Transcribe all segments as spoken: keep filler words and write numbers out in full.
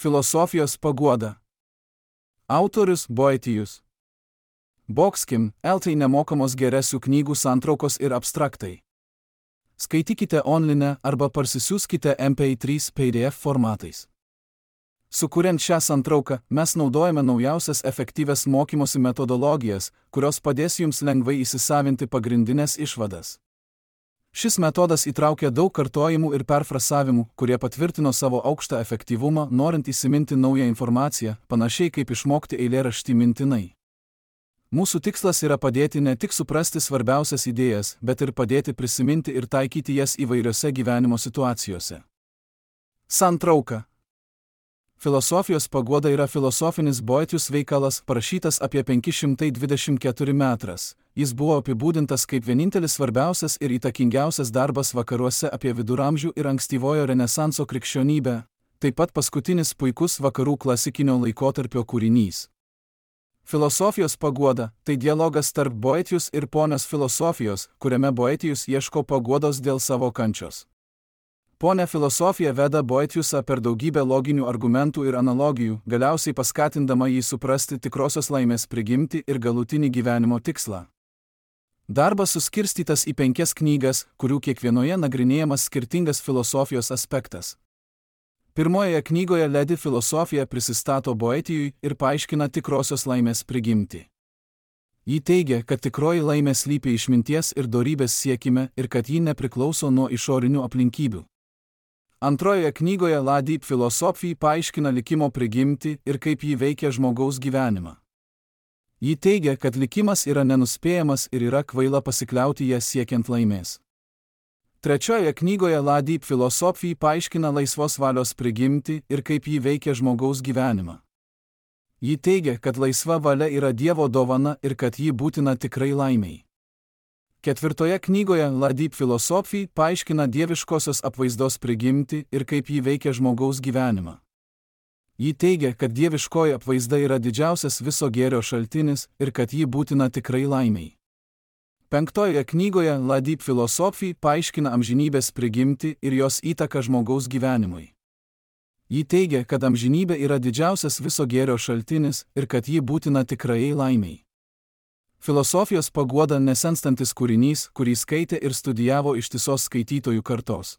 Filosofijos paguoda. Autorius Boetijus. Boxkim, eltai nemokamos geresių knygų santraukos ir abstraktai. Skaitykite online arba parsisiųskite M P trys P D F formatais. Sukuriant šią santrauką, mes naudojame naujausias efektyvias mokymosi metodologijas, kurios padės jums lengvai įsisavinti pagrindinės išvadas. Šis metodas įtraukia daug kartojimų ir perfrazavimų, kurie patvirtino savo aukštą efektyvumą, norint įsiminti naują informaciją, panašiai kaip išmokti eilėraštį mintinai. Mūsų tikslas yra padėti ne tik suprasti svarbiausias idėjas, bet ir padėti prisiminti ir taikyti jas įvairiose gyvenimo situacijose. Santrauka. Filosofijos paguoda yra filosofinis Boetijus veikalas, parašytas apie penki šimtai dvidešimt keturi metras. Jis buvo apibūdintas kaip vienintelis svarbiausias ir įtakingiausias darbas vakaruose apie viduramžių ir ankstyvojo renesanso krikščionybę, taip pat paskutinis puikus vakarų klasikinio laikotarpio kūrinys. Filosofijos paguoda – tai dialogas tarp Boetijus ir ponios filosofijos, kuriame Boetijus ieško paguodos dėl savo kančios. Ponia filosofija veda Boetijusą per daugybę loginių argumentų ir analogijų, galiausiai paskatindama jį suprasti tikrosios laimės prigimtį ir galutinį gyvenimo tikslą. Darbas suskirstytas į penkias knygas, kurių kiekvienoje nagrinėjamas skirtingas filosofijos aspektas. Pirmojoje knygoje Ledi filosofija prisistato Boetijui ir paaiškina tikrosios laimės prigimtį. Ji teigia, kad tikroji laimė slypi išminties ir dorybės siekime ir kad ji nepriklauso nuo išorinių aplinkybių. Antrojoje knygoje Ladi filosofija paaiškina likimo prigimtį ir kaip jį veikia žmogaus gyvenimą. Ji teigia, kad likimas yra nenuspėjamas ir yra kvaila pasikliauti ją siekiant laimės. Trečiojoje knygoje Ladi filosofija paaiškina laisvos valios prigimtį ir kaip jį veikia žmogaus gyvenimą. Ji teigia, kad laisva valia yra Dievo dovana ir kad ji būtina tikrai laimei. Ketvirtoje knygoje Ladi filosofija paaiškina dieviškosios apvaizdos prigimtį ir kaip ji veikia žmogaus gyvenimą. Ji teigia, kad dieviškoji apvaizda yra didžiausias viso gėrio šaltinis ir kad ji būtina tikrai laimei. Penktojoje knygoje Ladi filosofija paaiškina amžinybės prigimtį ir jos įtaką žmogaus gyvenimui. Ji teigia, kad amžinybė yra didžiausias viso gėrio šaltinis ir kad ji būtina tikrai laimei. Filosofijos paguoda nesenstantis kūrinys, kurį skaitė ir studijavo ištisos skaitytojų kartos.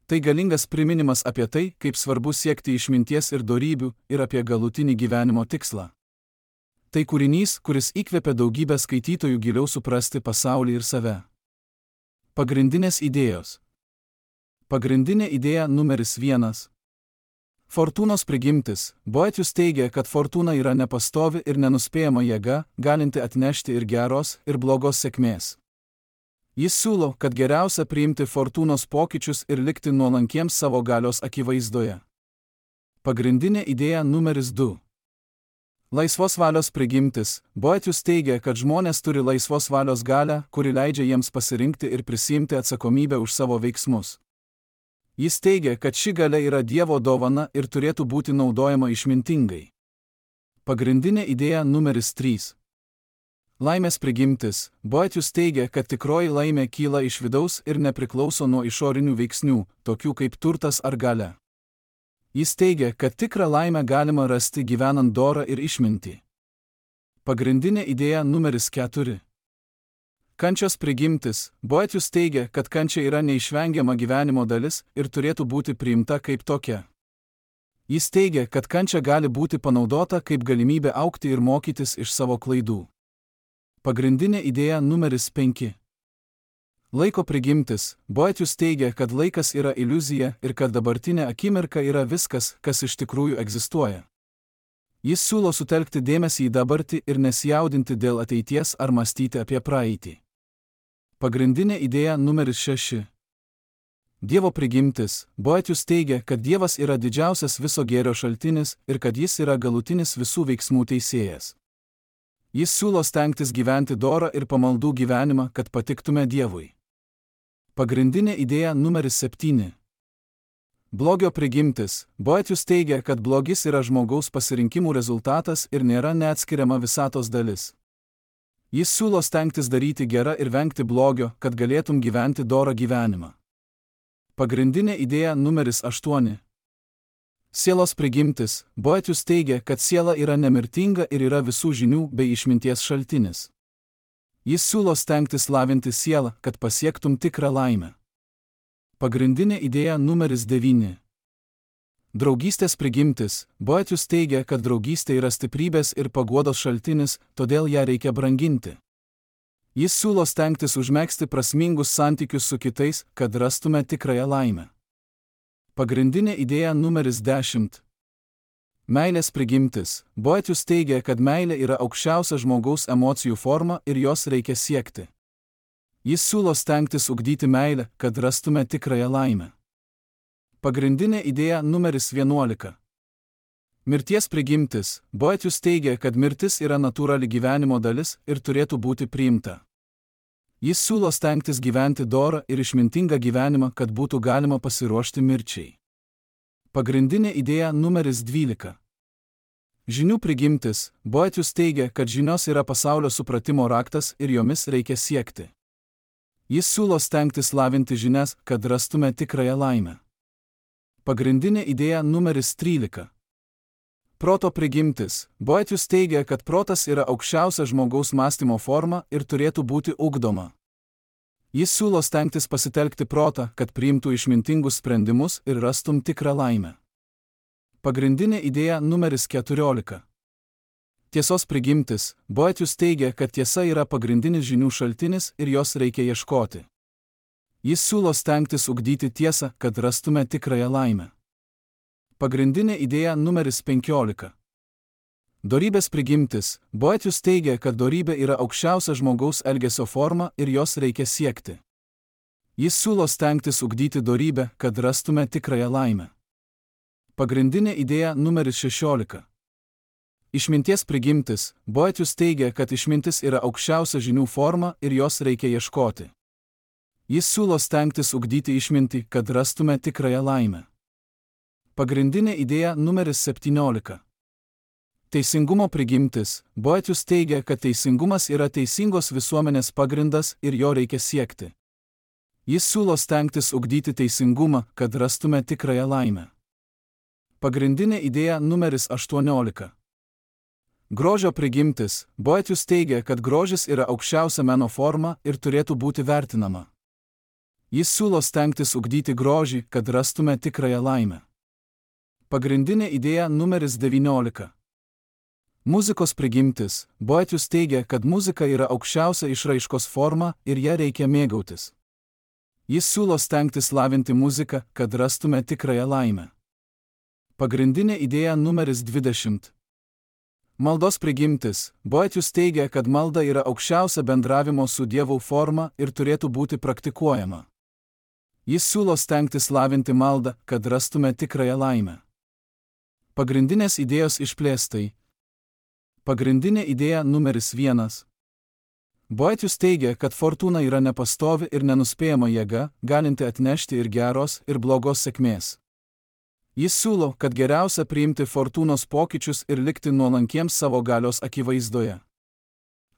Tai galingas priminimas apie tai, kaip svarbu siekti išminties ir dorybių ir apie galutinį gyvenimo tikslą. Tai kūrinys, kuris įkvėpė daugybę skaitytojų giliau suprasti pasaulį ir save. Pagrindinės idėjos. Pagrindinė idėja numeris vienas. Fortūnos prigimtis. Boetijus teigia, kad fortūna yra nepastovi ir nenuspėjama jėga, galinti atnešti ir geros, ir blogos sėkmės. Jis siūlo, kad geriausia priimti fortūnos pokyčius ir likti nuolankiems savo galios akivaizdoje. Pagrindinė idėja numeris du. Laisvos valios prigimtis. Boetijus teigia, kad žmonės turi laisvos valios galią, kuri leidžia jiems pasirinkti ir prisiimti atsakomybę už savo veiksmus. Jis teigia, kad ši galia yra Dievo dovana ir turėtų būti naudojama išmintingai. Pagrindinė idėja numeris trys. Laimės prigimtis. Boetijus teigia, kad tikroji laimė kyla iš vidaus ir nepriklauso nuo išorinių veiksnių, tokių kaip turtas ar galia. Jis teigia, kad tikrą laimę galima rasti gyvenant dorą ir išmintį. Pagrindinė idėja numeris keturi. Kančios prigimtis. Boetijus teigia, kad kančia yra neišvengiama gyvenimo dalis ir turėtų būti priimta kaip tokia. Jis teigia, kad kančia gali būti panaudota kaip galimybė augti ir mokytis iš savo klaidų. Pagrindinė idėja numeris penki. Laiko prigimtis. Boetijus teigia, kad laikas yra iliuzija ir kad dabartinė akimirka yra viskas, kas iš tikrųjų egzistuoja. Jis siūlo sutelkti dėmesį į dabartį ir nesijaudinti dėl ateities ar mąstyti apie praeitį. Pagrindinė idėja numeris šeši. Dievo prigimtis. Boetijus teigia, kad Dievas yra didžiausias viso gėrio šaltinis ir kad jis yra galutinis visų veiksmų teisėjas. Jis siūlo stengtis gyventi dorą ir pamaldų gyvenimą, kad patiktume Dievui. Pagrindinė idėja numeris septyni. Blogio prigimtis. Boetijus teigia, kad blogis yra žmogaus pasirinkimų rezultatas ir nėra neatskiriama visatos dalis. Jis siūlo stengtis daryti gerą ir vengti blogio, kad galėtum gyventi dorą gyvenimą. Pagrindinė idėja numeris aštuoni. Sielos prigimtis. Boetius teigia, kad siela yra nemirtinga ir yra visų žinių bei išminties šaltinis. Jis siūlo stengtis lavinti sielą, kad pasiektum tikrą laimę. Pagrindinė idėja numeris devyni. Draugystės prigimtis. Boetius teigia, kad draugystė yra stiprybės ir paguodos šaltinis, todėl ją reikia branginti. Jis siūlo stengtis užmegzti prasmingus santykius su kitais, kad rastume tikrąją laimę. Pagrindinė idėja numeris dešimt. Meilės prigimtis. Boetius teigia, kad meilė yra aukščiausia žmogaus emocijų forma ir jos reikia siekti. Jis siūlo stengtis ugdyti meilę, kad rastume tikrąją laimę. Pagrindinė idėja numeris vienuolika. Mirties prigimtis. Boetius teigia, kad mirtis yra natūrali gyvenimo dalis ir turėtų būti priimta. Jis siūlo stengtis gyventi dorą ir išmintingą gyvenimą, kad būtų galima pasiruošti mirčiai. Pagrindinė idėja numeris dvylika. Žinių prigimtis. Boetius teigia, kad žinios yra pasaulio supratimo raktas ir jomis reikia siekti. Jis siūlo stengtis lavinti žinias, kad rastume tikrąją laimę. Pagrindinė idėja numeris trylika. Proto prigimtis. Boetius teigia, kad protas yra aukščiausia žmogaus mąstymo forma ir turėtų būti ugdoma. Jis siūlo stengtis pasitelkti protą, kad priimtų išmintingus sprendimus ir rastum tikrą laimę. Pagrindinė idėja numeris keturiolika. Tiesos prigimtis. Boetius teigia, kad tiesa yra pagrindinis žinių šaltinis ir jos reikia ieškoti. Jis siūlo stengtis ugdyti tiesą, kad rastume tikrąją laimę. Pagrindinė idėja numeris penkiolika. Dorybės prigimtis. Boetius teigia, kad dorybė yra aukščiausia žmogaus elgesio forma ir jos reikia siekti. Jis siūlo stengtis ugdyti dorybę, kad rastume tikrąją laimę. Pagrindinė idėja numeris šešiolika. Išminties prigimtis. Boetius teigia, kad išmintis yra aukščiausia žinių forma ir jos reikia ieškoti. Jis siūlo stengtis ugdyti išmintį, kad rastume tikrąją laimę. Pagrindinė idėja numeris septyniolika. Teisingumo prigimtis. Boetius teigia, kad teisingumas yra teisingos visuomenės pagrindas ir jo reikia siekti. Jis siūlo stengtis ugdyti teisingumą, kad rastume tikrąją laimę. Pagrindinė idėja numeris aštuoniolika. Grožio prigimtis. Boetius teigia, kad grožis yra aukščiausia meno forma ir turėtų būti vertinama. Jis siūlo stengtis ugdyti grožį, kad rastume tikrąją laimę. Pagrindinė idėja numeris devyniolika. Muzikos prigimtis. Boetius teigia, kad muzika yra aukščiausia išraiškos forma ir ją reikia mėgautis. Jis siūlo stengtis lavinti muziką, kad rastume tikrąją laimę. Pagrindinė idėja numeris dvidešimt. Maldos prigimtis. Boetius teigia, kad malda yra aukščiausia bendravimo su Dievu forma ir turėtų būti praktikuojama. Jis siūlo stengtis lavinti maldą, kad rastume tikrąją laimę. Pagrindinės idėjos išplėstai. Pagrindinė idėja numeris vienas. Boetius teigia, kad fortūna yra nepastovi ir nenuspėjama jėga, galinti atnešti ir geros, ir blogos sėkmės. Jis siūlo, kad geriausia priimti fortūnos pokyčius ir likti nuolankiems savo galios akivaizdoje.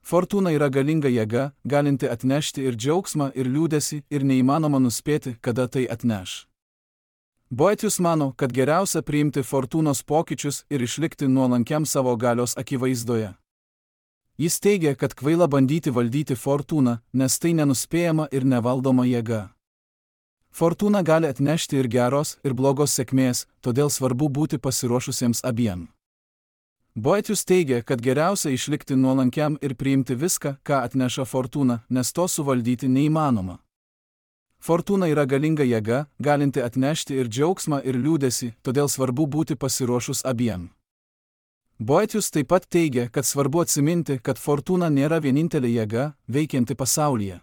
Fortūna yra galinga jėga, galinti atnešti ir džiaugsmą, ir liūdesį, ir neįmanoma nuspėti, kada tai atneš. Boetius mano, kad geriausia priimti fortūnos pokyčius ir išlikti nuolankiam savo galios akivaizdoje. Jis teigia, kad kvaila bandyti valdyti fortūną, nes tai nenuspėjama ir nevaldoma jėga. Fortūna gali atnešti ir geros, ir blogos sėkmės, todėl svarbu būti pasiruošusiems abiem. Boetius teigia, kad geriausia išlikti nuolankiam ir priimti viską, ką atneša fortūna, nes to suvaldyti neįmanoma. Fortūna yra galinga jėga, galinti atnešti ir džiaugsmą, ir liūdesį, todėl svarbu būti pasiruošus abiem. Boetius taip pat teigia, kad svarbu atsiminti, kad fortūna nėra vienintelė jėga, veikianti pasaulyje.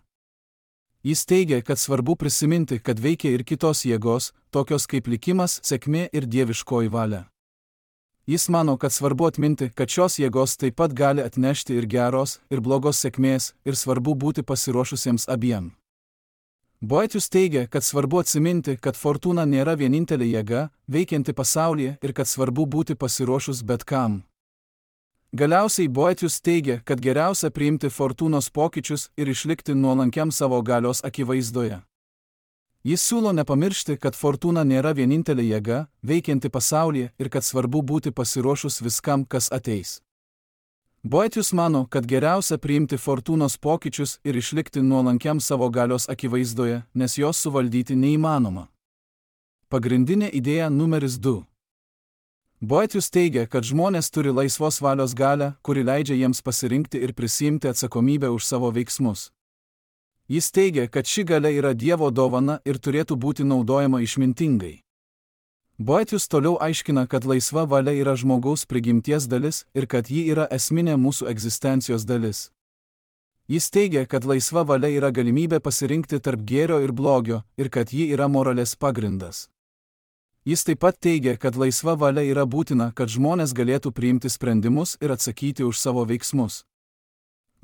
Jis teigia, kad svarbu prisiminti, kad veikia ir kitos jėgos, tokios kaip likimas, sėkmė ir dieviškoji valia. Jis mano, kad svarbu atminti, kad šios jėgos taip pat gali atnešti ir geros, ir blogos sėkmės, ir svarbu būti pasiruošusiems abiem. Boetius teigia, kad svarbu atsiminti, kad fortūna nėra vienintelė jėga, veikianti pasaulyje ir kad svarbu būti pasiruošus bet kam. Galiausiai Boetius teigia, kad geriausia priimti fortūnos pokyčius ir išlikti nuolankiam savo galios akivaizdoje. Jis siūlo nepamiršti, kad fortūna nėra vienintelė jėga, veikianti pasaulyje ir kad svarbu būti pasiruošus viskam, kas ateis. Boethius mano, kad geriausia priimti fortūnos pokyčius ir išlikti nuolankiam savo galios akivaizdoje, nes jos suvaldyti neįmanoma. Pagrindinė idėja numeris du. Boethius teigia, kad žmonės turi laisvos valios galią, kuri leidžia jiems pasirinkti ir prisiimti atsakomybę už savo veiksmus. Jis teigia, kad ši galia yra Dievo dovana ir turėtų būti naudojama išmintingai. Boethius toliau aiškina, kad laisva valia yra žmogaus prigimties dalis ir kad ji yra esminė mūsų egzistencijos dalis. Jis teigia, kad laisva valia yra galimybė pasirinkti tarp gėrio ir blogio ir kad ji yra moralės pagrindas. Jis taip pat teigia, kad laisva valia yra būtina, kad žmonės galėtų priimti sprendimus ir atsakyti už savo veiksmus.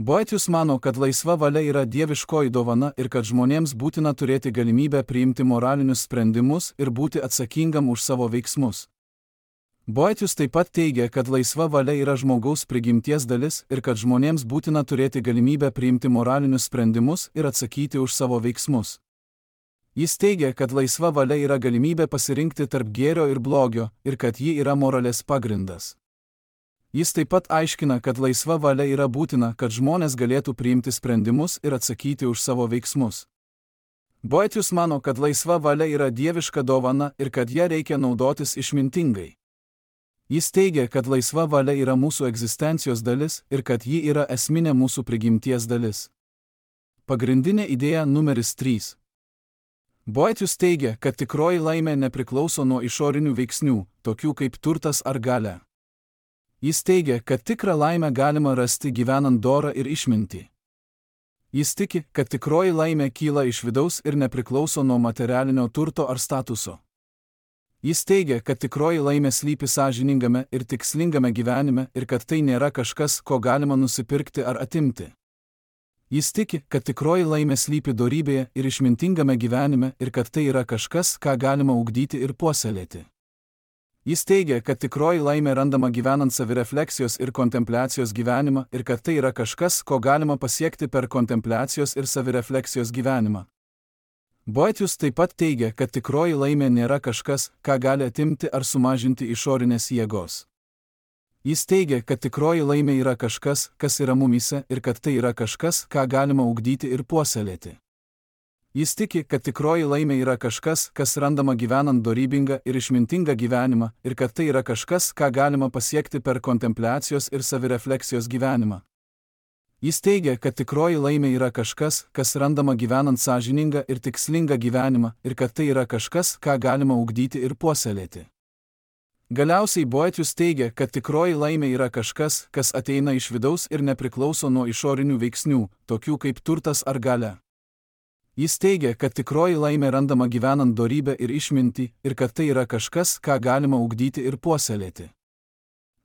Boethius mano, kad laisva valia yra dieviškoji dovana ir kad žmonėms būtina turėti galimybę priimti moralinius sprendimus ir būti atsakingam už savo veiksmus. Boethius taip pat teigia, kad laisva valia yra žmogaus prigimties dalis ir kad žmonėms būtina turėti galimybę priimti moralinius sprendimus ir atsakyti už savo veiksmus. Jis teigia, kad laisva valia yra galimybė pasirinkti tarp gėrio ir blogio ir kad ji yra moralės pagrindas. Jis taip pat aiškina, kad laisva valia yra būtina, kad žmonės galėtų priimti sprendimus ir atsakyti už savo veiksmus. Boethius mano, kad laisva valia yra dieviška dovana ir kad ją reikia naudotis išmintingai. Jis teigia, kad laisva valia yra mūsų egzistencijos dalis ir kad ji yra esminė mūsų prigimties dalis. Pagrindinė idėja numeris trys. Boethius teigia, kad tikroji laimė nepriklauso nuo išorinių veiksnių, tokių kaip turtas ar galia. Jis teigia, kad tikrą laimę galima rasti gyvenant dorą ir išmintį. Jis tiki, kad tikroji laimė kyla iš vidaus ir nepriklauso nuo materialinio turto ar statuso. Jis teigia, kad tikroji laimė slypi sąžiningame ir tikslingame gyvenime ir kad tai nėra kažkas, ko galima nusipirkti ar atimti. Jis tiki, kad tikroji laimė slypi dorybėje ir išmintingame gyvenime ir kad tai yra kažkas, ką galima ugdyti ir puoselėti. Jis teigia, kad tikroji laimė randama gyvenant savirefleksijos ir kontempliacijos gyvenimą ir kad tai yra kažkas, ko galima pasiekti per kontempliacijos ir savirefleksijos gyvenimą. Boethius taip pat teigia, kad tikroji laimė nėra kažkas, ką gali atimti ar sumažinti išorinės jėgos. Jis teigia, kad tikroji laimė yra kažkas, kas yra mumyse ir kad tai yra kažkas, ką galima ugdyti ir puoselėti. Jis tiki, kad tikroji laimė yra kažkas, kas randama gyvenant dorybingą ir išmintingą gyvenimą ir kad tai yra kažkas, ką galima pasiekti per kontempliacijos ir savirefleksijos gyvenimą. Jis teigia, kad tikroji laimė yra kažkas, kas randama gyvenant sąžiningą ir tikslingą gyvenimą ir kad tai yra kažkas, ką galima ugdyti ir puoselėti. Galiausiai Boethius teigia, kad tikroji laimė yra kažkas, kas ateina iš vidaus ir nepriklauso nuo išorinių veiksnių, tokių kaip turtas ar galia. Jis teigia, kad tikroji laimė randama gyvenant dorybę ir išmintį ir kad tai yra kažkas, ką galima ugdyti ir puoselėti.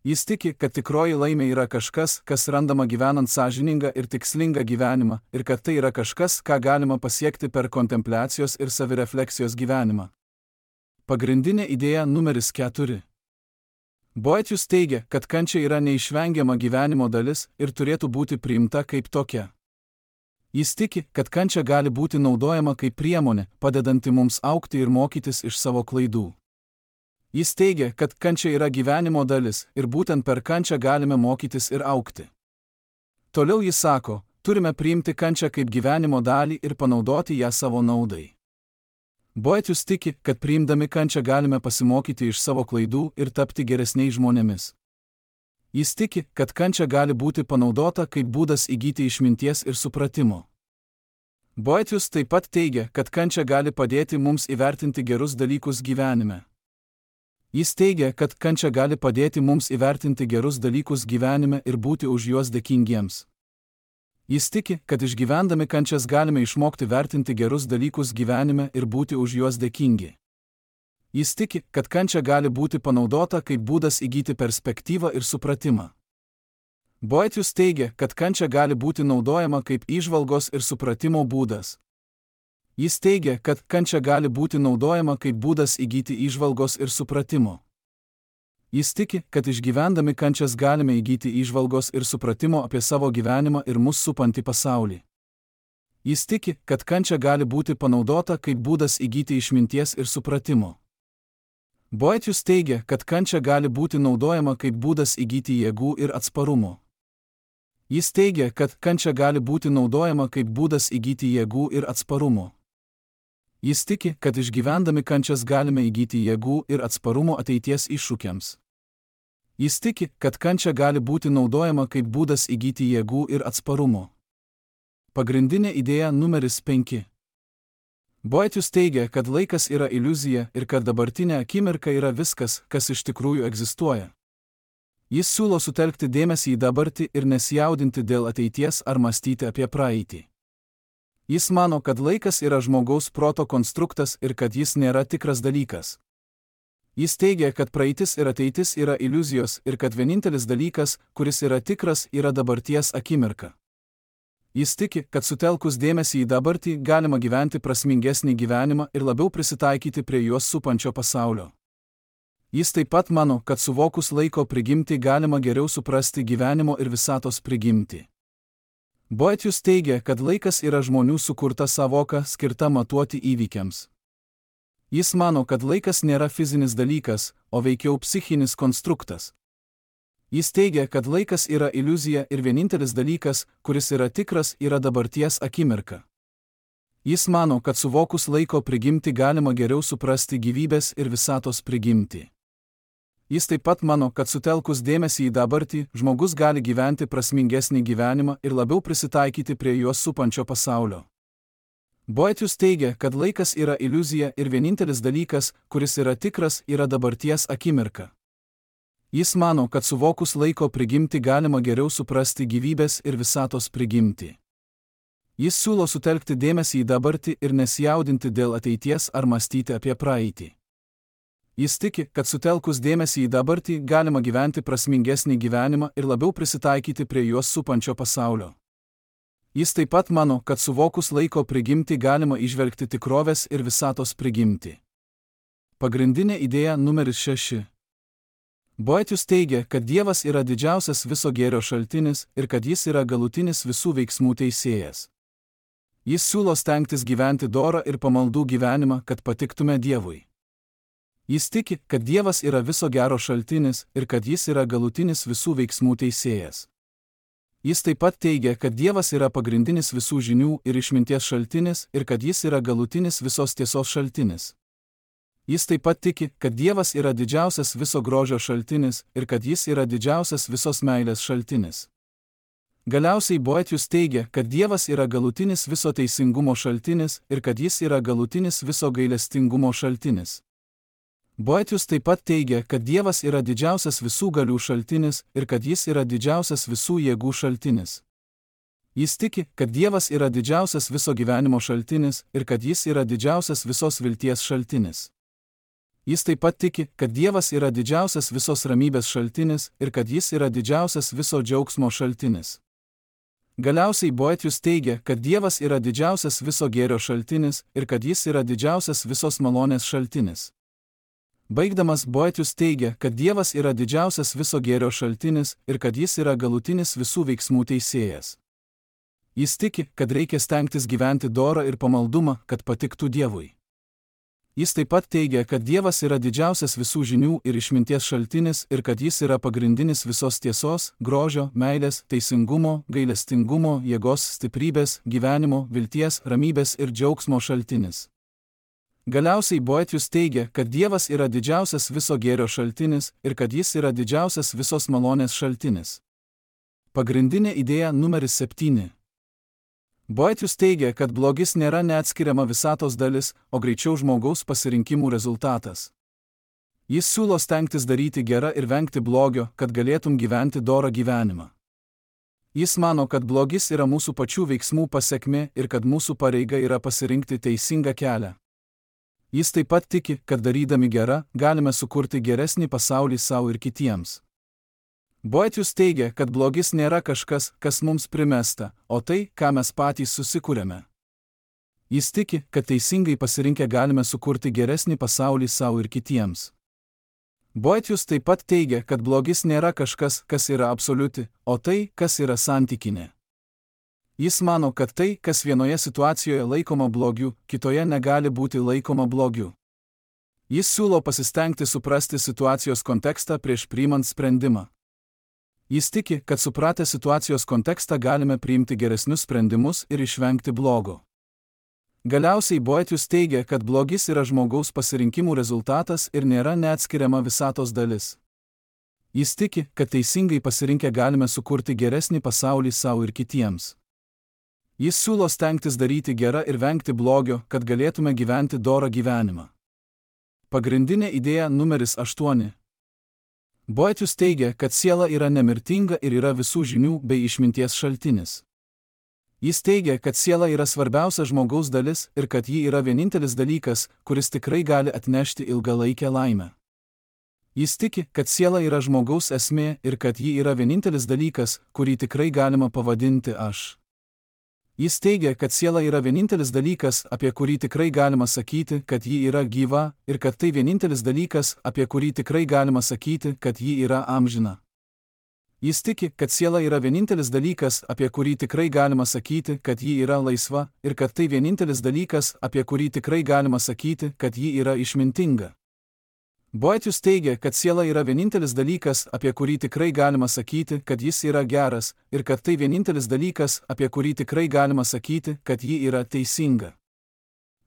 Jis tiki, kad tikroji laimė yra kažkas, kas randama gyvenant sąžiningą ir tikslingą gyvenimą ir kad tai yra kažkas, ką galima pasiekti per kontempliacijos ir savirefleksijos gyvenimą. Pagrindinė idėja numeris keturi. Boethius teigia, kad kančia yra neišvengiama gyvenimo dalis ir turėtų būti priimta kaip tokia. Jis tiki, kad kančia gali būti naudojama kaip priemonė, padedanti mums augti ir mokytis iš savo klaidų. Jis teigia, kad kančia yra gyvenimo dalis ir būtent per kančią galime mokytis ir augti. Toliau jis sako, turime priimti kančią kaip gyvenimo dalį ir panaudoti ją savo naudai. Boethius tiki, kad priimdami kančią galime pasimokyti iš savo klaidų ir tapti geresniais žmonėmis. Jis tiki, kad kančia gali būti panaudota kaip būdas įgyti išminties ir supratimo. Boethius taip pat teigia, kad kančia gali padėti mums įvertinti gerus dalykus gyvenime. Jis teigia, kad kančia gali padėti mums įvertinti gerus dalykus gyvenime ir būti už juos dėkingiems. Jis tiki, kad išgyvendami kančias galime išmokti vertinti gerus dalykus gyvenime ir būti už juos dėkingi. Jis tiki, kad kančia gali būti panaudota kaip būdas įgyti perspektyvą ir supratimą. Boethius teigia, kad kančia gali būti naudojama kaip įžvalgos ir supratimo būdas. Jis teigia, kad kančia gali būti naudojama kaip būdas įgyti įžvalgos ir supratimo. Jis tiki, kad išgyvendami kančias galime įgyti įžvalgos ir supratimo apie savo gyvenimą ir mus supantį pasaulį. Jis tiki, kad kančia gali būti panaudota kaip būdas įgyti išminties ir supratimo. Boethius teigia, kad kančia gali būti naudojama kaip būdas įgyti jėgų ir atsparumo. Jis teigia, kad kančia gali būti naudojama kaip būdas įgyti jėgų ir atsparumo. Jis tiki, kad išgyvendami kančias galime įgyti jėgų ir atsparumo ateities iššūkiams. Jis tiki, kad kančia gali būti naudojama kaip būdas įgyti jėgų ir atsparumo. Pagrindinė idėja numeris penki. Boethius teigia, kad laikas yra iliuzija ir kad dabartinė akimirka yra viskas, kas iš tikrųjų egzistuoja. Jis siūlo sutelkti dėmesį į dabartį ir nesijaudinti dėl ateities ar mąstyti apie praeitį. Jis mano, kad laikas yra žmogaus proto konstruktas ir kad jis nėra tikras dalykas. Jis teigia, kad praeitis ir ateitis yra iliuzijos ir kad vienintelis dalykas, kuris yra tikras, yra dabarties akimirka. Jis tiki, kad sutelkus dėmesį į dabartį galima gyventi prasmingesnį gyvenimą ir labiau prisitaikyti prie juos supančio pasaulio. Jis taip pat mano, kad suvokus laiko prigimtį galima geriau suprasti gyvenimo ir visatos prigimtį. Boethius teigia, kad laikas yra žmonių sukurta sąvoka skirta matuoti įvykiams. Jis mano, kad laikas nėra fizinis dalykas, o veikiau psichinis konstruktas. Jis teigia, kad laikas yra iliuzija ir vienintelis dalykas, kuris yra tikras, yra dabarties akimirka. Jis mano, kad suvokus laiko prigimtį galima geriau suprasti gyvybės ir visatos prigimtį. Jis taip pat mano, kad sutelkus dėmesį į dabartį, žmogus gali gyventi prasmingesnį gyvenimą ir labiau prisitaikyti prie juos supančio pasaulio. Boethius teigia, kad laikas yra iliuzija ir vienintelis dalykas, kuris yra tikras, yra dabarties akimirka. Jis mano, kad suvokus laiko prigimtį galima geriau suprasti gyvybės ir visatos prigimtį. Jis siūlo sutelkti dėmesį į dabartį ir nesijaudinti dėl ateities ar mąstyti apie praeitį. Jis tiki, kad sutelkus dėmesį į dabartį galima gyventi prasmingesnį gyvenimą ir labiau prisitaikyti prie juos supančio pasaulio. Jis taip pat mano, kad suvokus laiko prigimtį galima įžvelgti tikrovės ir visatos prigimtį. Pagrindinė idėja numeris šeši. Boethius teigia, kad Dievas yra didžiausias viso gėrio šaltinis ir kad jis yra galutinis visų veiksmų teisėjas. Jis siūlo stengtis gyventi dorą ir pamaldų gyvenimą, kad patiktume Dievui. Jis tiki, kad Dievas yra viso gero šaltinis ir kad jis yra galutinis visų veiksmų teisėjas. Jis taip pat teigia, kad Dievas yra pagrindinis visų žinių ir išminties šaltinis ir kad jis yra galutinis visos tiesos šaltinis. Jis taip pat tiki, kad Dievas yra didžiausias viso grožio šaltinis ir kad jis yra didžiausias visos meilės šaltinis. Galiausiai Boethius teigia, kad Dievas yra galutinis viso teisingumo šaltinis ir kad jis yra galutinis viso gailestingumo šaltinis. Boethius taip pat teigia, kad Dievas yra didžiausias visų galių šaltinis ir kad jis yra didžiausias visų jėgų šaltinis. Jis tiki, kad Dievas yra didžiausias viso gyvenimo šaltinis ir kad jis yra didžiausias visos vilties šaltinis. Jis taip pat tiki, kad Dievas yra didžiausias visos ramybės šaltinis ir kad jis yra didžiausias viso džiaugsmo šaltinis. Galiausiai Boethius teigia, kad Dievas yra didžiausias viso gėrio šaltinis ir kad jis yra didžiausias visos malonės šaltinis. Baigdamas Boethius teigia, kad Dievas yra didžiausias viso gėrio šaltinis ir kad jis yra galutinis visų veiksmų teisėjas. Jis tiki, kad reikia stengtis gyventi dorą ir pamaldumą, kad patiktų Dievui. Jis taip pat teigia, kad Dievas yra didžiausias visų žinių ir išminties šaltinis ir kad jis yra pagrindinis visos tiesos, grožio, meilės, teisingumo, gailestingumo, jėgos, stiprybės, gyvenimo, vilties, ramybės ir džiaugsmo šaltinis. Galiausiai Boethius teigia, kad Dievas yra didžiausias viso gėrio šaltinis ir kad jis yra didžiausias visos malonės šaltinis. Pagrindinė idėja numeris septyni. Boethius teigia, kad blogis nėra neatskiriama visatos dalis, o greičiau žmogaus pasirinkimų rezultatas. Jis siūlo stengtis daryti gerą ir vengti blogio, kad galėtum gyventi dorą gyvenimą. Jis mano, kad blogis yra mūsų pačių veiksmų pasekmė ir kad mūsų pareiga yra pasirinkti teisingą kelią. Jis taip pat tiki, kad darydami gerą, galime sukurti geresnį pasaulį savo ir kitiems. Boethius teigia, kad blogis nėra kažkas, kas mums primesta, o tai, ką mes patys susikūrėme. Jis tiki, kad teisingai pasirinkę galime sukurti geresnį pasaulį savo ir kitiems. Boethius taip pat teigia, kad blogis nėra kažkas, kas yra absoliuti, o tai, kas yra santykinė. Jis mano, kad tai, kas vienoje situacijoje laikoma blogiu, kitoje negali būti laikoma blogiu. Jis siūlo pasistengti suprasti situacijos kontekstą prieš priimant sprendimą. Jis tiki, kad supratę situacijos kontekstą galime priimti geresnius sprendimus ir išvengti blogo. Galiausiai Boethius teigia, kad blogis yra žmogaus pasirinkimų rezultatas ir nėra neatskiriama visatos dalis. Jis tiki, kad teisingai pasirinkę galime sukurti geresnį pasaulį savo ir kitiems. Jis siūlo stengtis daryti gerą ir vengti blogio, kad galėtume gyventi dorą gyvenimą. Pagrindinė idėja numeris aštuoni. Boethius teigia, kad siela yra nemirtinga ir yra visų žinių bei išminties šaltinis. Jis teigia, kad siela yra svarbiausia žmogaus dalis ir kad ji yra vienintelis dalykas, kuris tikrai gali atnešti ilgalaikę laimę. Jis tiki, kad siela yra žmogaus esmė ir kad ji yra vienintelis dalykas, kurį tikrai galima pavadinti aš. Jis teigia, kad siela yra vienintelis dalykas, apie kurį tikrai galima sakyti, kad ji yra gyva, ir kad tai vienintelis dalykas, apie kurį tikrai galima sakyti, kad ji yra amžina. Jis tiki, kad siela yra vienintelis dalykas, apie kurį tikrai galima sakyti, kad ji yra laisva, ir kad tai vienintelis dalykas, apie kurį tikrai galima sakyti, kad ji yra išmintinga. Boethius teigia, kad siela yra vienintelis dalykas, apie kurį tikrai galima sakyti, kad jis yra geras, ir kad tai vienintelis dalykas, apie kurį tikrai galima sakyti, kad ji yra teisinga.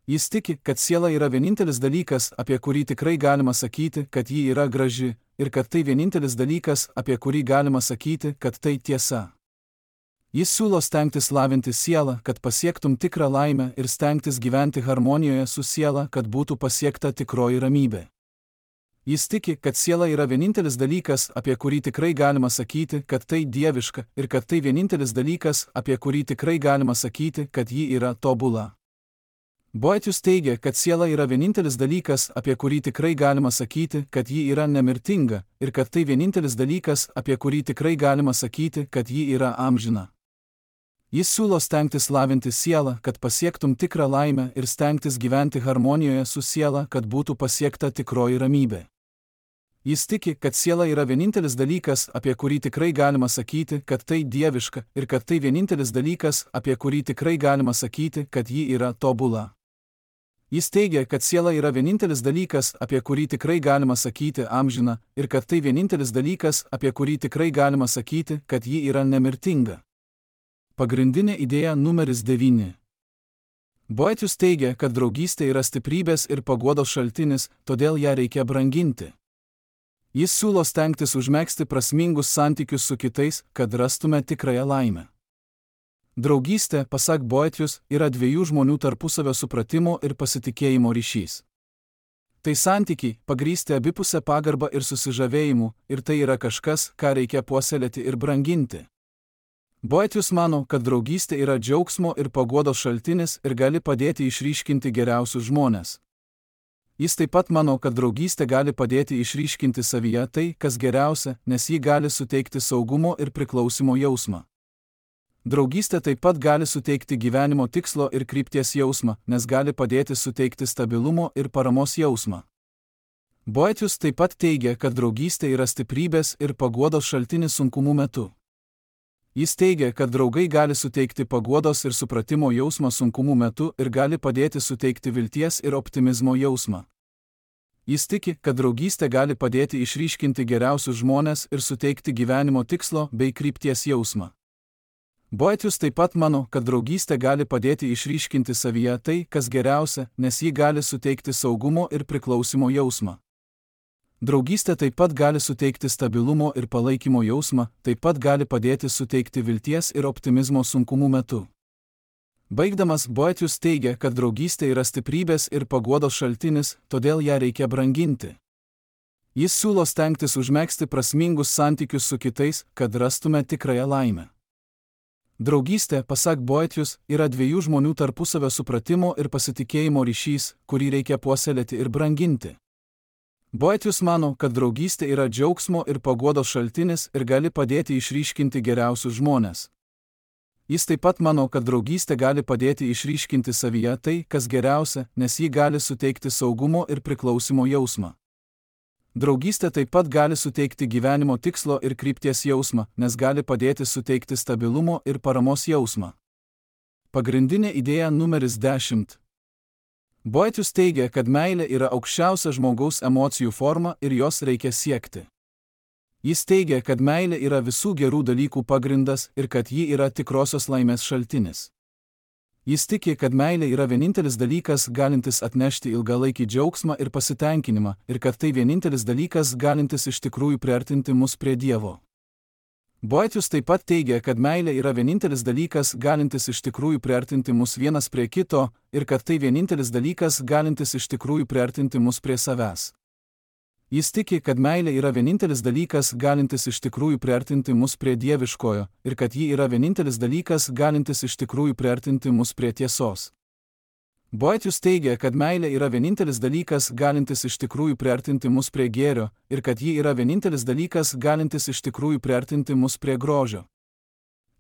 Jis tiki, kad siela yra vienintelis dalykas, apie kurį tikrai galima sakyti, kad ji yra graži, ir kad tai vienintelis dalykas, apie kurį galima sakyti, kad tai tiesa. Jis siūlo stengtis lavinti sielą, kad pasiektum tikrą laimę ir stengtis gyventi harmonijoje su siela, kad būtų pasiekta tikroji ramybė. Jis tiki, kad siela yra vienintelis dalykas, apie kurį tikrai galima sakyti, kad tai dieviška, ir kad tai vienintelis dalykas, apie kurį tikrai galima sakyti, kad ji yra tobula. Boethius teigia, kad siela yra vienintelis dalykas, apie kurį tikrai galima sakyti, kad ji yra nemirtinga, ir kad tai vienintelis dalykas, apie kurį tikrai galima sakyti, kad ji yra amžina. Jis siūlo stengtis lavinti sielą, kad pasiektum tikrą laimę ir stengtis gyventi harmonijoje su siela, kad būtų pasiekta tikroji ramybė. Jis tiki, kad siela yra vienintelis dalykas, apie kurį tikrai galima sakyti, kad tai dieviška, ir kad tai vienintelis dalykas, apie kurį tikrai galima sakyti, kad ji yra tobula. Jis teigia, kad siela yra vienintelis dalykas, apie kurį tikrai galima sakyti amžina, ir kad tai vienintelis dalykas, apie kurį tikrai galima sakyti, kad ji yra nemirtinga. Pagrindinė idėja numeris devyni. Boethius teigia, kad draugystė yra stiprybės ir paguodos šaltinis, todėl ją reikia branginti. Jis siūlo stengtis užmegzti prasmingus santykius su kitais, kad rastume tikrąją laimę. Draugystė, pasak Boethius, yra dviejų žmonių tarpusavio supratimo ir pasitikėjimo ryšys. Tai santykiai, pagrįsti abipusę pagarbą ir susižavėjimu, ir tai yra kažkas, ką reikia puoselėti ir branginti. Boethius mano, kad draugystė yra džiaugsmo ir paguodos šaltinis ir gali padėti išryškinti geriausius žmones. Jis taip pat mano, kad draugystė gali padėti išryškinti savyje tai, kas geriausia, nes ji gali suteikti saugumo ir priklausimo jausmą. Draugystė taip pat gali suteikti gyvenimo tikslo ir krypties jausmą, nes gali padėti suteikti stabilumo ir paramos jausmą. Boethius taip pat teigia, kad draugystė yra stiprybės ir paguodos šaltinis sunkumų metu. Jis teigia, kad draugai gali suteikti paguodos ir supratimo jausmą sunkumų metu ir gali padėti suteikti vilties ir optimizmo jausmą. Jis tiki, kad draugystė gali padėti išryškinti geriausius žmones ir suteikti gyvenimo tikslo bei krypties jausmą. Boethius taip pat mano, kad draugystė gali padėti išryškinti savyje tai, kas geriausia, nes ji gali suteikti saugumo ir priklausimo jausmą. Draugystė taip pat gali suteikti stabilumo ir palaikymo jausmą, taip pat gali padėti suteikti vilties ir optimizmo sunkumų metu. Baigdamas, Boethius teigia, kad draugystė yra stiprybės ir paguodos šaltinis, todėl ją reikia branginti. Jis siūlo stengtis užmegzti prasmingus santykius su kitais, kad rastume tikrąją laimę. Draugystė, pasak Boethius, yra dviejų žmonių tarpusavio supratimo ir pasitikėjimo ryšys, kurį reikia puoselėti ir branginti. Boethius mano, kad draugystė yra džiaugsmo ir paguodos šaltinis ir gali padėti išryškinti geriausius žmones. Jis taip pat mano, kad draugystė gali padėti išryškinti savyje tai, kas geriausia, nes ji gali suteikti saugumo ir priklausimo jausmą. Draugystė taip pat gali suteikti gyvenimo tikslo ir krypties jausmą, nes gali padėti suteikti stabilumo ir paramos jausmą. Pagrindinė idėja numeris dešimt. Boetius teigia, kad meilė yra aukščiausia žmogaus emocijų forma ir jos reikia siekti. Jis teigia, kad meilė yra visų gerų dalykų pagrindas ir kad ji yra tikrosios laimės šaltinis. Jis tiki, kad meilė yra vienintelis dalykas, galintis atnešti ilgalaikį džiaugsmą ir pasitenkinimą, ir kad tai vienintelis dalykas, galintis iš tikrųjų priartinti mus prie Dievo. Boetius taip pat teigia, kad meilė yra vienintelis dalykas, galintis iš tikrųjų priartinti mus vienas prie kito, ir kad tai vienintelis dalykas, galintis iš tikrųjų priartinti mus prie savęs. Jis tiki, kad meilė yra vienintelis dalykas, galintis iš tikrųjų priartinti mus prie dieviškojo, ir kad ji yra vienintelis dalykas, galintis iš tikrųjų priartinti mus prie tiesos. Boetius teigia, kad meilė yra vienintelis dalykas, galintis iš tikrųjų priartinti mus prie gėrio, ir kad ji yra vienintelis dalykas, galintis iš tikrųjų priartinti mus prie grožio.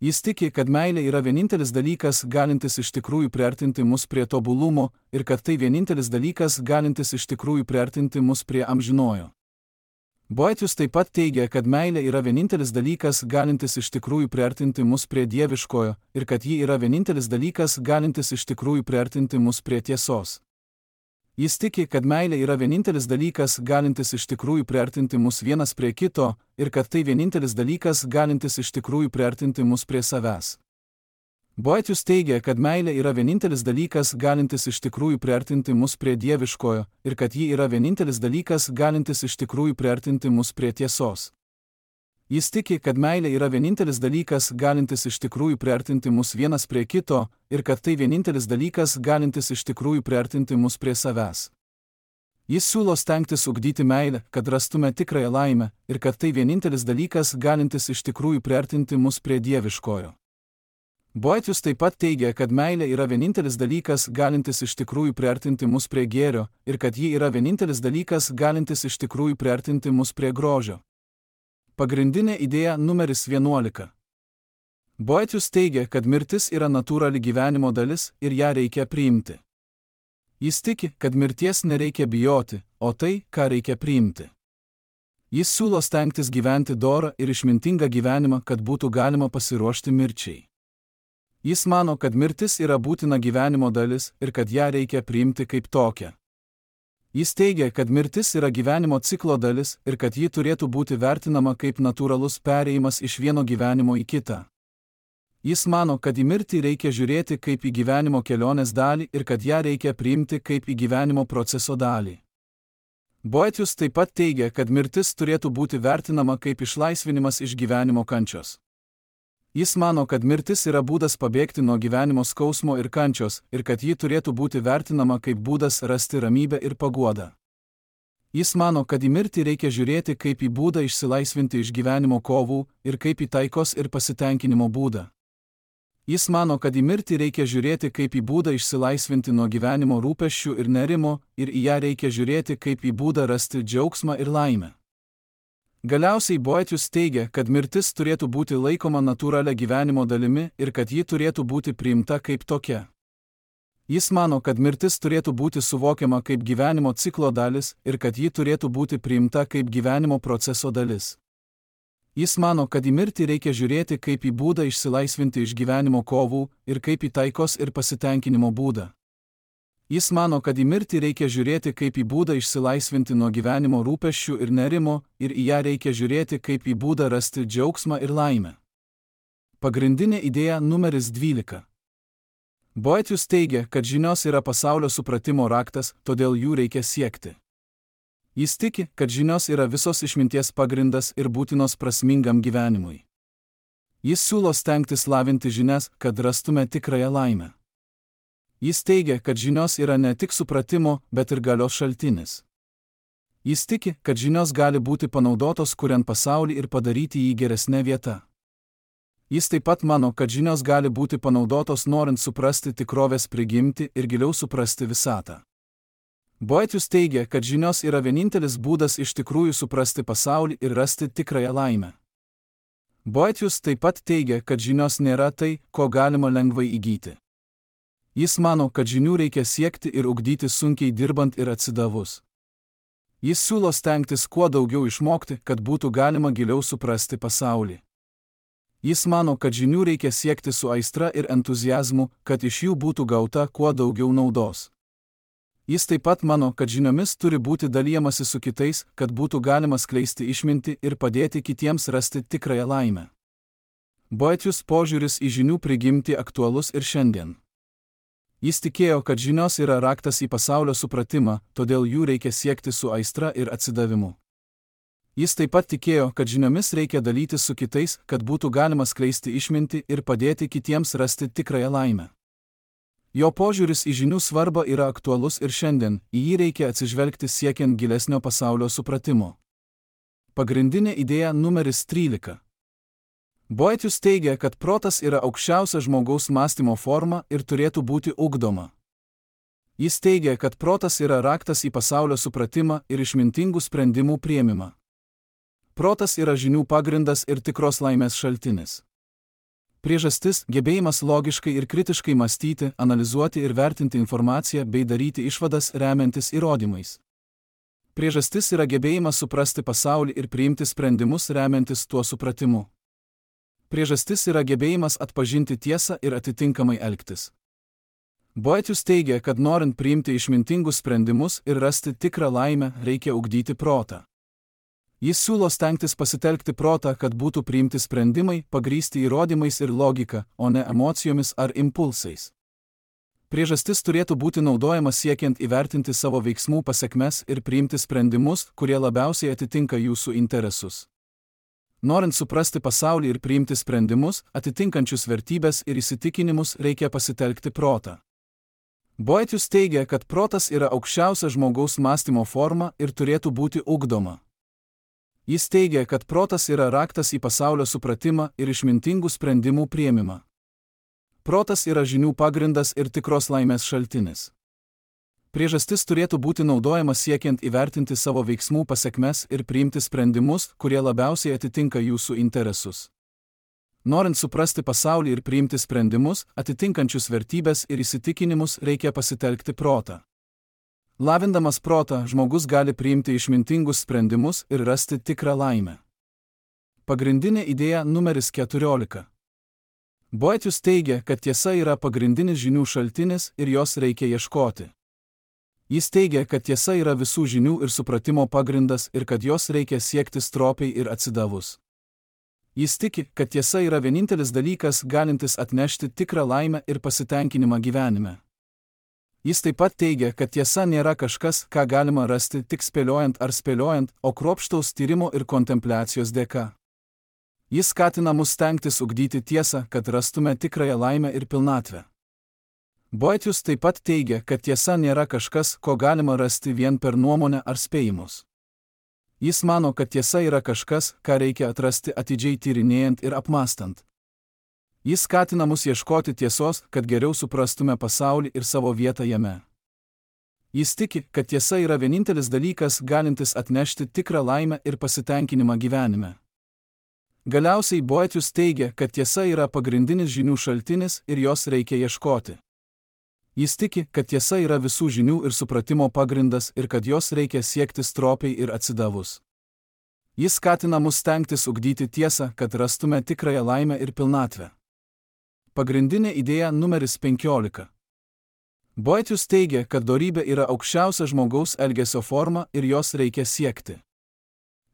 Jis tiki, kad meilė yra vienintelis dalykas, galintis iš tikrųjų priartinti mus prie tobulumo, ir kad tai vienintelis dalykas, galintis iš tikrųjų priartinti mus prie amžinojo. Boetius taip pat teigia, kad meilė yra vienintelis dalykas, galintis iš tikrųjų priartinti mus prie dieviškojo, ir kad ji yra vienintelis dalykas, galintis iš tikrųjų priartinti mus prie tiesos. Jis tiki, kad meilė yra vienintelis dalykas, galintis iš tikrųjų priartinti mus vienas prie kito, ir kad tai vienintelis dalykas, galintis iš tikrųjų priartinti mus prie savęs. Boetius teigia, kad meilė yra vienintelis dalykas, galintis iš tikrųjų priartinti mus prie dieviškojo, ir kad ji yra vienintelis dalykas, galintis iš tikrųjų priartinti mus prie tiesos. Jis tiki, kad meilė yra vienintelis dalykas, galintis iš tikrųjų priartinti mus vienas prie kito, ir kad tai vienintelis dalykas, galintis iš tikrųjų priartinti mus prie savęs. Jis siūlo stengtis ugdyti meilę, kad rastume tikrąją laimę, ir kad tai vienintelis dalykas, galintis iš tikrųjų priartinti mus prie dieviškojo. Boetius taip pat teigia, kad meilė yra vienintelis dalykas, galintis iš tikrųjų priartinti mus prie gėrio, ir kad ji yra vienintelis dalykas, galintis iš tikrųjų priartinti mus prie grožio. Pagrindinė idėja numeris vienuolika. Boetius teigia, kad mirtis yra natūrali gyvenimo dalis ir ją reikia priimti. Jis tiki, kad mirties nereikia bijoti, o tai, ką reikia priimti. Jis siūlo stengtis gyventi dorą ir išmintingą gyvenimą, kad būtų galima pasiruošti mirčiai. Jis mano, kad mirtis yra būtina gyvenimo dalis ir kad ją reikia priimti kaip tokią. Jis teigia, kad mirtis yra gyvenimo ciklo dalis ir kad ji turėtų būti vertinama kaip natūralus perėjimas iš vieno gyvenimo į kitą. Jis mano, kad į mirtį reikia žiūrėti kaip į gyvenimo kelionės dalį ir kad ją reikia priimti kaip į gyvenimo proceso dalį. Boetius taip pat teigia, kad mirtis turėtų būti vertinama kaip išlaisvinimas iš gyvenimo kančios. Jis mano, kad mirtis yra būdas pabėgti nuo gyvenimo skausmo ir kančios ir kad ji turėtų būti vertinama kaip būdas rasti ramybę ir paguodą. Jis mano, kad į mirtį reikia žiūrėti kaip į būdą išsilaisvinti iš gyvenimo kovų ir kaip į taikos ir pasitenkinimo būdą. Jis mano, kad į mirtį reikia žiūrėti kaip į būdą išsilaisvinti nuo gyvenimo rūpesčių ir nerimo ir į ją reikia žiūrėti kaip į būdą rasti džiaugsmą ir laimę. Galiausiai Boetius teigia, kad mirtis turėtų būti laikoma natūralia gyvenimo dalimi ir kad ji turėtų būti priimta kaip tokia. Jis mano, kad mirtis turėtų būti suvokiama kaip gyvenimo ciklo dalis ir kad ji turėtų būti priimta kaip gyvenimo proceso dalis. Jis mano, kad į mirtį reikia žiūrėti kaip į būdą išsilaisvinti iš gyvenimo kovų ir kaip į taikos ir pasitenkinimo būdą. Jis mano, kad į mirtį reikia žiūrėti kaip į būdą išsilaisvinti nuo gyvenimo rūpesčių ir nerimo ir į ją reikia žiūrėti kaip į būdą rasti džiaugsmą ir laimę. Pagrindinė idėja numeris dvylika. Boetius teigia, kad žinios yra pasaulio supratimo raktas, todėl jų reikia siekti. Jis tiki, kad žinios yra visos išminties pagrindas ir būtinos prasmingam gyvenimui. Jis siūlo stengtis lavinti žinias, kad rastume tikrąją laimę. Jis teigia, kad žinios yra ne tik supratimo, bet ir galios šaltinis. Jis tiki, kad žinios gali būti panaudotos kuriant pasaulį ir padaryti jį geresnę vietą. Jis taip pat mano, kad žinios gali būti panaudotos norint suprasti tikrovės prigimtį ir giliau suprasti visatą. Boetius teigia, kad žinios yra vienintelis būdas iš tikrųjų suprasti pasaulį ir rasti tikrąją laimę. Boetius taip pat teigia, kad žinios nėra tai, ko galima lengvai įgyti. Jis mano, kad žinių reikia siekti ir ugdyti sunkiai dirbant ir atsidavus. Jis siūlo stengtis kuo daugiau išmokti, kad būtų galima giliau suprasti pasaulį. Jis mano, kad žinių reikia siekti su aistra ir entuziazmu, kad iš jų būtų gauta kuo daugiau naudos. Jis taip pat mano, kad žiniomis turi būti dalijamasi su kitais, kad būtų galima skleisti išmintį ir padėti kitiems rasti tikrąją laimę. Boethius požiūris į žinių prigimtį aktualus ir šiandien. Jis tikėjo, kad žinios yra raktas į pasaulio supratimą, todėl jų reikia siekti su aistra ir atsidavimu. Jis taip pat tikėjo, kad žiniomis reikia dalytis su kitais, kad būtų galima skleisti išmintį ir padėti kitiems rasti tikrąją laimę. Jo požiūris į žinių svarbą yra aktualus ir šiandien, į jį reikia atsižvelgti siekiant gilesnio pasaulio supratimo. Pagrindinė idėja numeris trylika. Boethius teigia, kad protas yra aukščiausia žmogaus mąstymo forma ir turėtų būti ugdoma. Jis teigia, kad protas yra raktas į pasaulio supratimą ir išmintingų sprendimų priėmimą. Protas yra žinių pagrindas ir tikros laimės šaltinis. Priežastis – gebėjimas logiškai ir kritiškai mąstyti, analizuoti ir vertinti informaciją bei daryti išvadas remiantis įrodymais. Priežastis yra gebėjimas suprasti pasaulį ir priimti sprendimus remiantis tuo supratimu. Priežastis yra gebėjimas atpažinti tiesą ir atitinkamai elgtis. Boethius teigia, kad norint priimti išmintingus sprendimus ir rasti tikrą laimę, reikia ugdyti protą. Jis siūlo stengtis pasitelkti protą, kad būtų priimti sprendimai, pagrįsti įrodymais ir logika, o ne emocijomis ar impulsais. Priežastis turėtų būti naudojama siekiant įvertinti savo veiksmų pasekmes ir priimti sprendimus, kurie labiausiai atitinka jūsų interesus. Norint suprasti pasaulį ir priimti sprendimus, atitinkančius vertybės ir įsitikinimus, reikia pasitelkti protą. Boethius teigia, kad protas yra aukščiausia žmogaus mąstymo forma ir turėtų būti ugdoma. Jis teigia, kad protas yra raktas į pasaulio supratimą ir išmintingų sprendimų priėmimą. Protas yra žinių pagrindas ir tikros laimės šaltinis. Priežastis turėtų būti naudojama siekiant įvertinti savo veiksmų pasekmes ir priimti sprendimus, kurie labiausiai atitinka jūsų interesus. Norint suprasti pasaulį ir priimti sprendimus, atitinkančius vertybės ir įsitikinimus, reikia pasitelkti protą. Lavindamas protą, žmogus gali priimti išmintingus sprendimus ir rasti tikrą laimę. Pagrindinė idėja numeris keturiolika. Boethius teigia, kad tiesa yra pagrindinis žinių šaltinis ir jos reikia ieškoti. Jis teigia, kad tiesa yra visų žinių ir supratimo pagrindas ir kad jos reikia siekti stropiai ir atsidavus. Jis tiki, kad tiesa yra vienintelis dalykas, galintis atnešti tikrą laimę ir pasitenkinimą gyvenime. Jis taip pat teigia, kad tiesa nėra kažkas, ką galima rasti tik spėliojant ar spėliojant, o kruopštaus tyrimo ir kontempliacijos dėka. Jis skatina mus stengtis ugdyti tiesą, kad rastume tikrąją laimę ir pilnatvę. Boethius taip pat teigia, kad tiesa nėra kažkas, ko galima rasti vien per nuomonę ar spėjimus. Jis mano, kad tiesa yra kažkas, ką reikia atrasti atidžiai tyrinėjant ir apmąstant. Jis skatina mus ieškoti tiesos, kad geriau suprastume pasaulį ir savo vietą jame. Jis tiki, kad tiesa yra vienintelis dalykas, galintis atnešti tikrą laimę ir pasitenkinimą gyvenime. Galiausiai Boethius teigia, kad tiesa yra pagrindinis žinių šaltinis ir jos reikia ieškoti. Jis tiki, kad tiesa yra visų žinių ir supratimo pagrindas ir kad jos reikia siekti stropiai ir atsidavus. Jis skatina mus stengtis ugdyti tiesą, kad rastume tikrąją laimę ir pilnatvę. Pagrindinė idėja numeris penkiolika. Boethius teigia, kad dorybė yra aukščiausia žmogaus elgesio forma ir jos reikia siekti.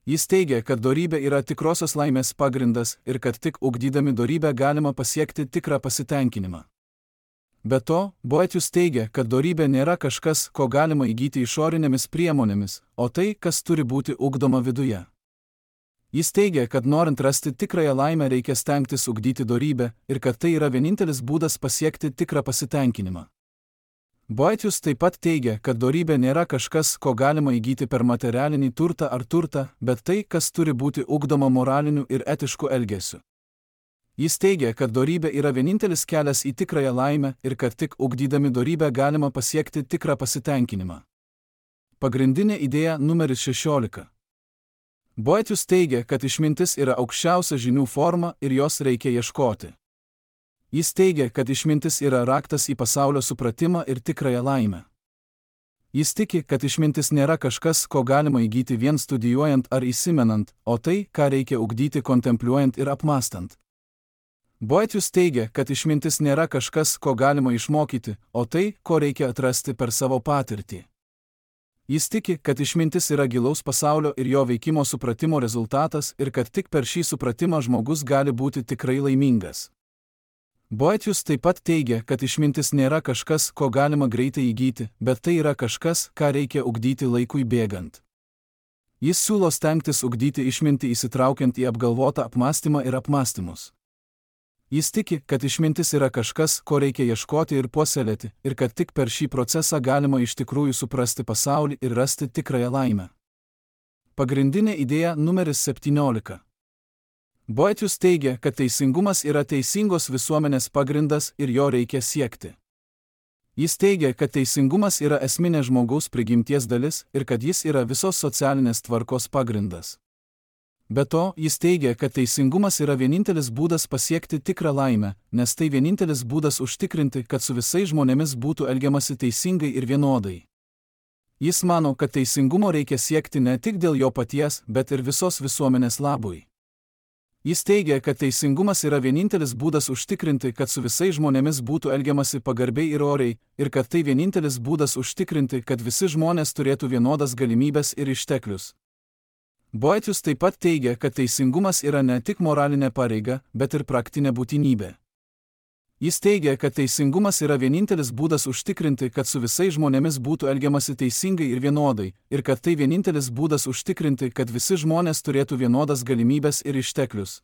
Jis teigia, kad dorybė yra tikrosios laimės pagrindas ir kad tik ugdydami dorybę galima pasiekti tikrą pasitenkinimą. Be to, Boethius teigia, kad dorybė nėra kažkas, ko galima įgyti išorinėmis priemonėmis, o tai, kas turi būti ugdoma viduje. Jis teigia, kad norint rasti tikrąją laimę reikia stengtis ugdyti dorybę ir kad tai yra vienintelis būdas pasiekti tikrą pasitenkinimą. Boethius taip pat teigia, kad dorybė nėra kažkas, ko galima įgyti per materialinį turtą ar turtą, bet tai, kas turi būti ugdoma moraliniu ir etišku elgesiu. Jis teigia, kad dorybė yra vienintelis kelias į tikrąją laimę ir kad tik ugdydami dorybę galima pasiekti tikrą pasitenkinimą. Pagrindinė idėja numeris šešiolika. Boethius teigia, kad išmintis yra aukščiausia žinių forma ir jos reikia ieškoti. Jis teigia, kad išmintis yra raktas į pasaulio supratimą ir tikrąją laimę. Jis tiki, kad išmintis nėra kažkas, ko galima įgyti vien studijuojant ar įsimenant, o tai, ką reikia ugdyti kontempliuojant ir apmąstant. Boethius teigia, kad išmintis nėra kažkas, ko galima išmokyti, o tai, ko reikia atrasti per savo patirtį. Jis tiki, kad išmintis yra gilaus pasaulio ir jo veikimo supratimo rezultatas ir kad tik per šį supratimą žmogus gali būti tikrai laimingas. Boethius taip pat teigia, kad išmintis nėra kažkas, ko galima greitai įgyti, bet tai yra kažkas, ką reikia ugdyti laikui bėgant. Jis siūlo stengtis ugdyti išmintį įsitraukiant į apgalvotą apmąstymą ir apmąstymus. Jis tiki, kad išmintis yra kažkas, ko reikia ieškoti ir puoselėti, ir kad tik per šį procesą galima iš tikrųjų suprasti pasaulį ir rasti tikrąją laimę. Pagrindinė idėja numeris septyniolika. Boethius teigia, kad teisingumas yra teisingos visuomenės pagrindas ir jo reikia siekti. Jis teigia, kad teisingumas yra esminė žmogaus prigimties dalis ir kad jis yra visos socialinės tvarkos pagrindas. Be to, jis teigia, kad teisingumas yra vienintelis būdas pasiekti tikrą laimę, nes tai vienintelis būdas užtikrinti, kad su visais žmonėmis būtų elgiamasi teisingai ir vienodai. Jis mano, kad teisingumo reikia siekti ne tik dėl jo paties, bet ir visos visuomenės labui. Jis teigia, kad teisingumas yra vienintelis būdas užtikrinti, kad su visais žmonėmis būtų elgiamasi pagarbiai ir oriai, ir kad tai vienintelis būdas užtikrinti, kad visi žmonės turėtų vienodas galimybės ir išteklius. Boethius taip pat teigia, kad teisingumas yra ne tik moralinė pareiga, bet ir praktinė būtinybė. Jis teigia, kad teisingumas yra vienintelis būdas užtikrinti, kad su visais žmonėmis būtų elgiamasi teisingai ir vienodai, ir kad tai vienintelis būdas užtikrinti, kad visi žmonės turėtų vienodas galimybės ir išteklius.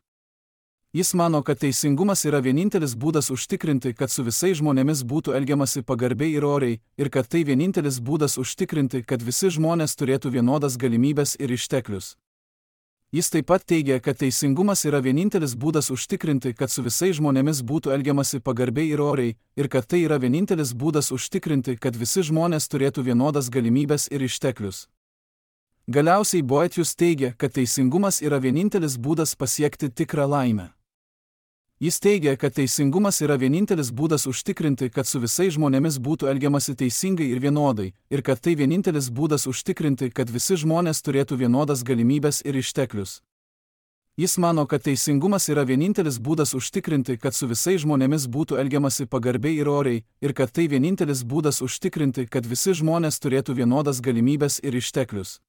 Jis mano, kad teisingumas yra vienintelis būdas užtikrinti, kad su visais žmonėmis būtų elgiamasi pagarbiai ir oriai, ir kad tai vienintelis būdas užtikrinti, kad visi žmonės turėtų vienodas galimybės ir išteklius. Jis taip pat teigia, kad teisingumas yra vienintelis būdas užtikrinti, kad su visais žmonėmis būtų elgiamasi pagarbiai ir oriai, ir kad tai yra vienintelis būdas užtikrinti, kad visi žmonės turėtų vienodas galimybės ir išteklius. Galiausiai Boethius teigia, kad teisingumas yra vienintelis būdas pasiekti tikrą laimę. Jis teigia, kad teisingumas yra vienintelis būdas užtikrinti, kad su visais žmonėmis būtų elgiamasi teisingai ir vienodai, ir kad tai vienintelis būdas užtikrinti, kad visi žmonės turėtų vienodas galimybės ir išteklius. Jis mano, kad teisingumas yra vienintelis būdas užtikrinti, kad su visais žmonėmis būtų elgiamasi pagarbiai ir oriai, ir kad tai vienintelis būdas užtikrinti, kad visi žmonės turėtų vienodas galimybės ir išteklius.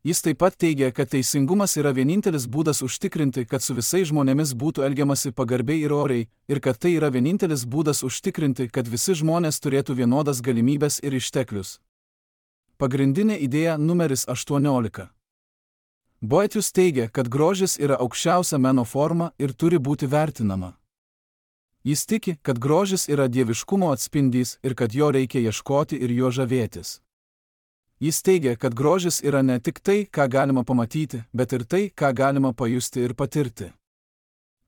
Jis taip pat teigia, kad teisingumas yra vienintelis būdas užtikrinti, kad su visais žmonėmis būtų elgiamasi pagarbiai ir oriai, ir kad tai yra vienintelis būdas užtikrinti, kad visi žmonės turėtų vienodas galimybės ir išteklius. Pagrindinė idėja numeris aštuoniolika. Boethius teigia, kad grožis yra aukščiausia meno forma ir turi būti vertinama. Jis tiki, kad grožis yra dieviškumo atspindys ir kad jo reikia ieškoti ir juo žavėtis. Jis teigia, kad grožis yra ne tik tai, ką galima pamatyti, bet ir tai, ką galima pajusti ir patirti.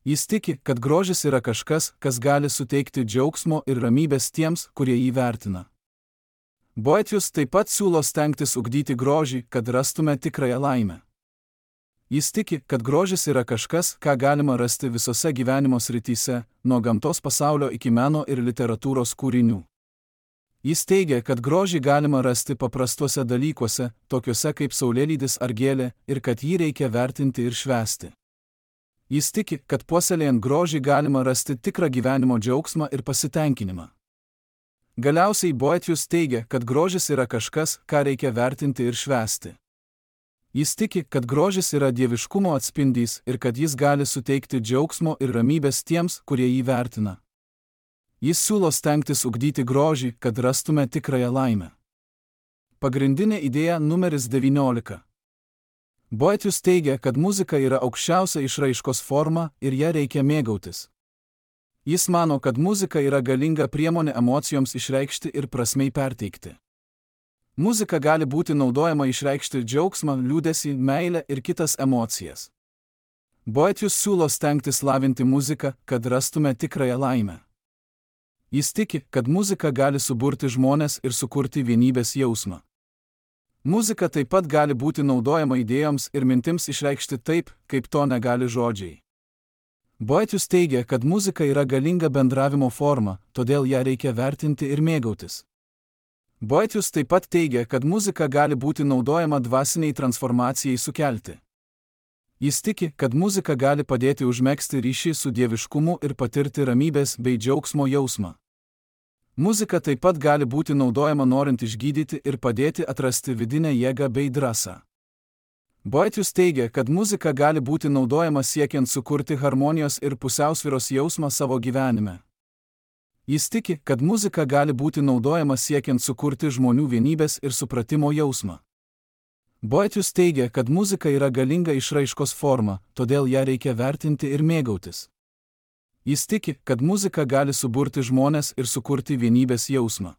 Jis tiki, kad grožis yra kažkas, kas gali suteikti džiaugsmo ir ramybės tiems, kurie jį vertina. Boethius taip pat siūlo stengtis ugdyti grožį, kad rastume tikrąją laimę. Jis tiki, kad grožis yra kažkas, ką galima rasti visose gyvenimo srityse, nuo gamtos pasaulio iki meno ir literatūros kūrinių. Jis teigia, kad grožį galima rasti paprastuose dalykuose, tokiuose kaip saulėlydis ar gėlė, ir kad jį reikia vertinti ir švęsti. Jis tiki, kad puoselėjant grožį galima rasti tikrą gyvenimo džiaugsmą ir pasitenkinimą. Galiausiai Boethius teigia, kad grožis yra kažkas, ką reikia vertinti ir švęsti. Jis tiki, kad grožis yra dieviškumo atspindys ir kad jis gali suteikti džiaugsmo ir ramybės tiems, kurie jį vertina. Jis siūlo stengtis ugdyti grožį, kad rastume tikrąją laimę. Pagrindinė idėja numeris devyniolika. Boethius teigia, kad muzika yra aukščiausia išraiškos forma ir ją reikia mėgautis. Jis mano, kad muzika yra galinga priemonė emocijoms išreikšti ir prasmei perteikti. Muzika gali būti naudojama išreikšti džiaugsmą, liūdesį, meilę ir kitas emocijas. Boethius siūlo stengtis lavinti muziką, kad rastume tikrąją laimę. Jis tiki, kad muzika gali suburti žmones ir sukurti vienybės jausmą. Muzika taip pat gali būti naudojama idėjoms ir mintims išreikšti taip, kaip to negali žodžiai. Boethius teigia, kad muzika yra galinga bendravimo forma, todėl ją reikia vertinti ir mėgautis. Boethius taip pat teigia, kad muzika gali būti naudojama dvasiniai transformacijai sukelti. Jis tiki, kad muzika gali padėti užmegzti ryšį su dieviškumu ir patirti ramybės bei džiaugsmo jausmą. Muzika taip pat gali būti naudojama norint išgydyti ir padėti atrasti vidinę jėgą bei drąsą. Boethius teigia, kad muzika gali būti naudojama siekiant sukurti harmonijos ir pusiausvyros jausmą savo gyvenime. Jis tiki, kad muzika gali būti naudojama siekiant sukurti žmonių vienybės ir supratimo jausmą. Boethius teigia, kad muzika yra galinga išraiškos forma, todėl ją reikia vertinti ir mėgautis. Jis tiki, kad muzika gali suburti žmones ir sukurti vienybės jausmą.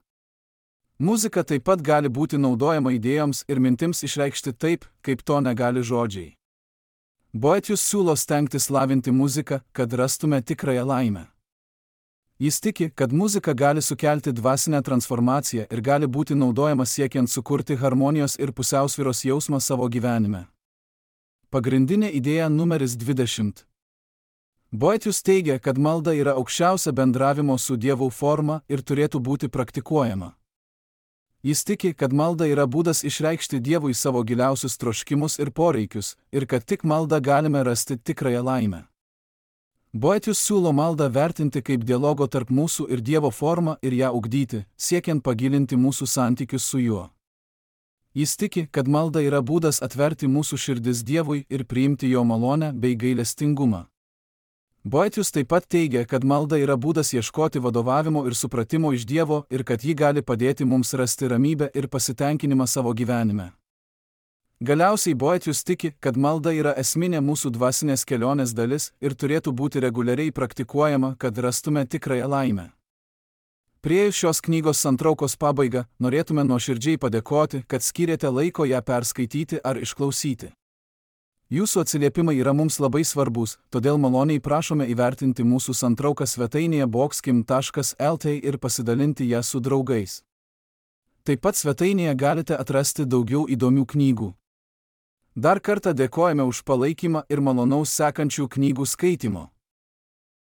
Muzika taip pat gali būti naudojama idėjoms ir mintims išreikšti taip, kaip to negali žodžiai. Boethius siūlo stengtis lavinti muziką, kad rastume tikrąją laimę. Jis tiki, kad muzika gali sukelti dvasinę transformaciją ir gali būti naudojama siekiant sukurti harmonijos ir pusiausvyros jausmą savo gyvenime. Pagrindinė idėja numeris dvidešimt. Boethius teigia, kad malda yra aukščiausia bendravimo su Dievu forma ir turėtų būti praktikuojama. Jis tiki, kad malda yra būdas išreikšti Dievui savo giliausius troškimus ir poreikius, ir kad tik malda galime rasti tikrąją laimę. Boethius siūlo maldą vertinti kaip dialogo tarp mūsų ir Dievo formą ir ją ugdyti, siekiant pagilinti mūsų santykius su juo. Jis tiki, kad malda yra būdas atverti mūsų širdis Dievui ir priimti jo malonę bei gailestingumą. Boethius taip pat teigia, kad malda yra būdas ieškoti vadovavimo ir supratimo iš Dievo ir kad ji gali padėti mums rasti ramybę ir pasitenkinimą savo gyvenime. Galiausiai Boethius tiki, kad malda yra esminė mūsų dvasinės kelionės dalis ir turėtų būti reguliariai praktikuojama, kad rastume tikrąją laimę. Priėjus šios knygos santraukos pabaigą, norėtume nuoširdžiai padėkoti, kad skyrėte laiko ją perskaityti ar išklausyti. Jūsų atsiliepimai yra mums labai svarbus, todėl maloniai prašome įvertinti mūsų santrauką svetainėje bokskim taškas el tė ir pasidalinti ją su draugais. Taip pat svetainėje galite atrasti daugiau įdomių knygų. Dar kartą dėkojame už palaikymą ir malonaus sekančių knygų skaitimo.